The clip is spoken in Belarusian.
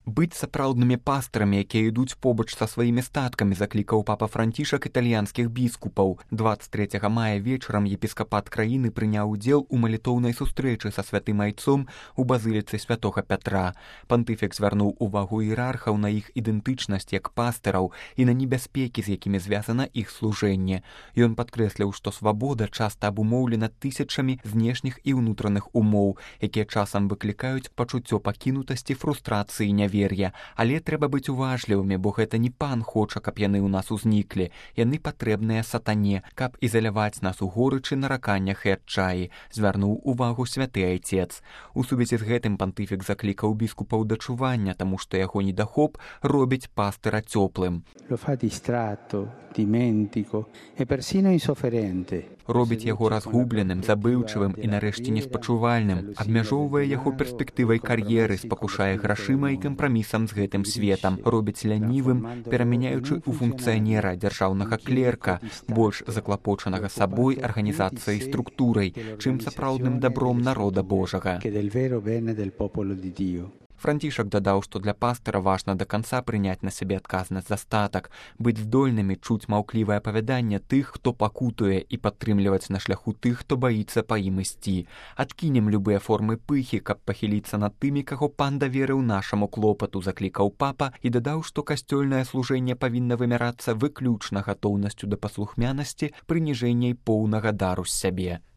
Быць сапраўднымі пастарамі, якія ідуць побач са сваімі статкамі, заклікаў папа Францішак італьянскіх біскупаў. 23 мая вечарам епіскапат краіны прыняў удзел у малітоўнай сустрэчы са святым айцом у базыліцы святога Пятра. Пантыфік звярнуў увагу іерархаў на іх ідэнтычнасць як пастыраў і на небяспекі, з якімі звязана іх служэнне. Ён падкрэсліў, што свабода часта абумоўлена тысячамі знешніх і ўнутраных умоў, якія часам выклікаюць пачуццё пакінутасці, фрустрацыі, нявер'я. Але трэба быць уважлівымі, бо гэта не пан хоча, каб яны ў нас узніклі. Яны патрэбныя сатане, каб ізаляваць нас у горычы, нараканнях і адчаі, звярнуў увагу святы айцец. У сувязі з гэтым пантыфік заклікаў біскупаў да чування, таму што яго недахоп робіць пастыра цёплым. Робіць яго разгубленым, забыўчывым і нарэшце неспачувальным, абмяжоўвае яго перспектывай кар'еры, спакушае грашыма і кампрамісам з гэтым светам, робіць лянівым, перамяняючы ў функцыянера, дзяржаўнага клерка, больш заклапочанага сабой, арганізацыяй, структурай, чым сапраўдным дабром народа Божага. Францішак дадаў, што для пастыра важна да канца прыняць на сябе адказнасць за статак, быць здольнымі чуць маўклівае апавяданне тых, хто пакутуе, і падтрымліваць на шляху тых, хто баіцца па ім ісці. Адкінем любыя формы пыхі, каб пахіліцца над тымі, каго пан даверыў нашаму клопату, заклікаў папа і дадаў, што касцёльнае служэнне павінна вымярацца выключна гатоўнасцю да паслухмянасці, прыніжэння і поўнага дару з сябе.